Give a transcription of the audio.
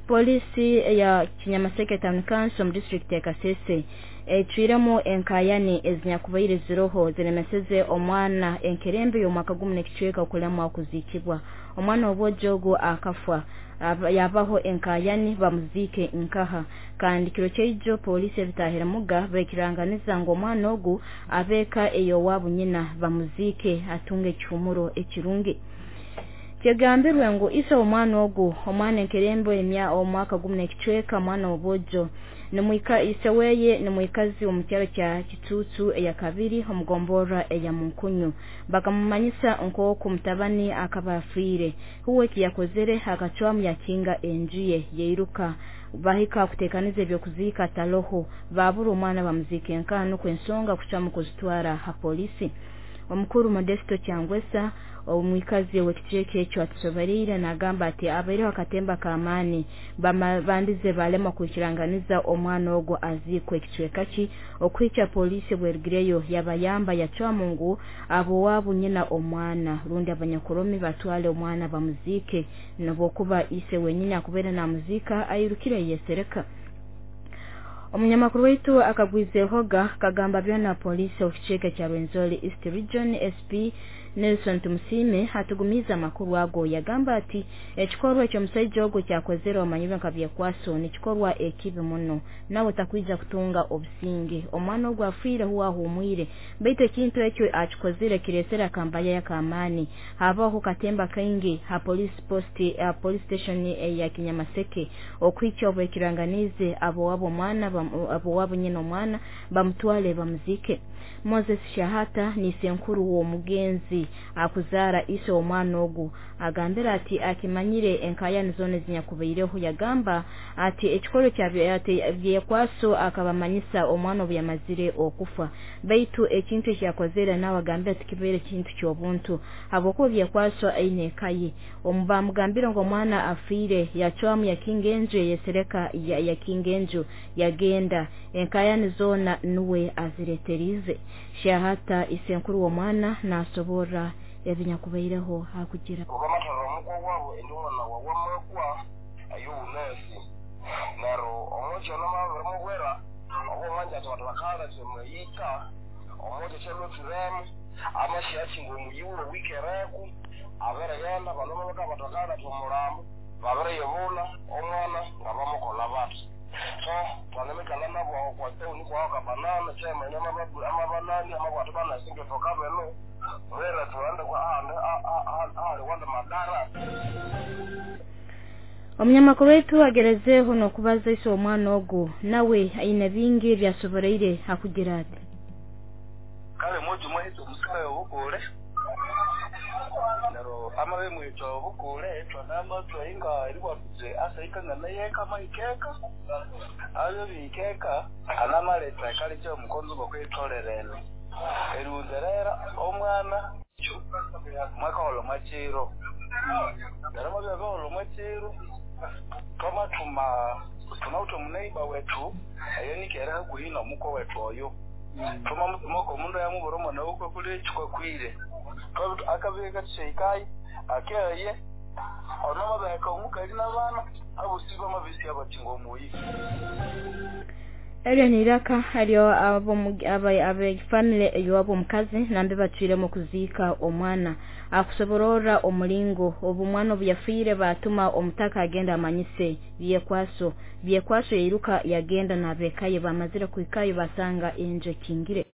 Polisi ya Kinyamaseke Town Council mu district ya Kasese ecwiremu enkayani ezinyakubaire ziroho ziremeseze omwana enkerembe y'omwaka gumu n'ekicweka okulemwa kuziikibwa. Omwana obwojo ogu akafa yabaho enkayani bamuziike nkaha, kandi kiro kyaijo polisi ebitahiremuga baikiranganiza ngu omwana ogu abeeka ey'owabu nyina bamuziike atunge ekihumuro ekirungi. Kyegambirwe ngu ise omwana ogu, omwana enkerembe omwaka gumu n'ekicweka, omwana obwojo nimwika ise weye nimwikazi omu kyaro kya Kitutu eya kabiri omugomborra eya Munkunyu. Bakamumanyisa nk'oku mutabani akaba afiire. Huwe ekiyakozere akacwamu yakinga enju ye yairuka. Bahika kutekaniza ebyokuziika taloho, babura omwana bamuziika enkaha, nukwo ensonga kucwamu kuzitwara ha polisi. Omukuru Modesto Kyangwesa omwikazi w'ekicweka ekyo atusobereire nagamba ati abaireho akatemba k'amaani, bandize balema kwikiranganiza omwana ogwo aziikwe ekicweka ki, okuhikya polisi bwerugireyo yabayamba yacwamu ngu ab'owabu nyina omwana rundi abanyakuromi batwale omwana bamuziike, nobwokuba ise wenyini akubaire namuziika airukire yesereka. Omunyamakuru waitu akagwizehoga kagamba byona polisi okicweka kya Rwenzori East Region SP Nelson Tumusiime atugumiza amakuru ago, yagamba ati ekikorwa eky'omusaija ogwo kyakozere omanyirwe nka Byekwaso nikikorwa ekibi muno, nawe takwija kutunga obusinge. Omwana ogwo afiire huwe ahumwire, baitu ekintu ekyo akikozere kiresere akambaya k'amaani. Habaho katemba kaingi ha police post, police station ya Kinyamaseke okuhikya obwekiranganize ab'owabo omwana ab'owabo nyina omwana bamutwale bamuzike. Moses Shahata ni senkuru w'omugenzi akuzaara ise omwana ogu agambira ati akimanyire enkayani zona ezinyakubaireho, yagamba ati ekikorwa kya Byekwaso akabamanyisa omwana obu yamazire okufa, baitu ekintu ekyakozere nawe agambira ati kibaire kintu ky'obuntu habwokuba Byekwaso aine eka ye. Bamugambire ngu omwana afiire, yacwamu yakinga enju yesereka, yakinga enju yagenda, enkayani zona nuwe azireterize. Shahata isenkuru w'omwana nasoborra ebinyakubaireho hakugira obamatara omukwa wabo endi omwana wawe amakwa ay'obunasi nero omukyo namabiri mubwera oba omwanja ati bantu bakaletha omuyika omukyo kyalwathiremu amasyakinga omuyiwe wikereku abirighenda bano babaka bantu bakaletha omulambo babiriyibula omwana nga bamukola bati so twanimikala nabo kwa town kwa kabanana chairman amabanani amabwatu banasinge toka beno mwera tuende kwa ahandi ahali wanda madara. Omunyamakuru waitu agerezeho n'okubaza ise omwana ogu, nawe aine bingi ebyasoboreire akugira ati kale moja mwahitse omusika yobukule nero amabe mwitwa obukule twanama twainga eribwatuze asaikangana yeka mahikeka abyo bikeka anamaleta kale kyo omukonzo gwokwetolerene erunderera omwana mwakaholo mwachiro nero mwabyakaholo mwachiro twamatuma tunauto muneiba wetu ayonikere hakuhi nomuko wetu oyo twamutumako omundu yamubura omwana wukwe kuli ekikwa kwire akabika tuseikai akeye onomabeka omukali n'abaana abusi bamabisi abakinga omuyi. Eryo niraka eryo abefamily ey'owabo omukazi nambe batwiremu kuziika omwana akusoborora omulingo obu omwana obu yafiire batuma omutaka agenda amanyise Byekwaso. Byekwaso yairuka yagenda n'abekaye, bamazire kuhikayo basanga enju ekingire.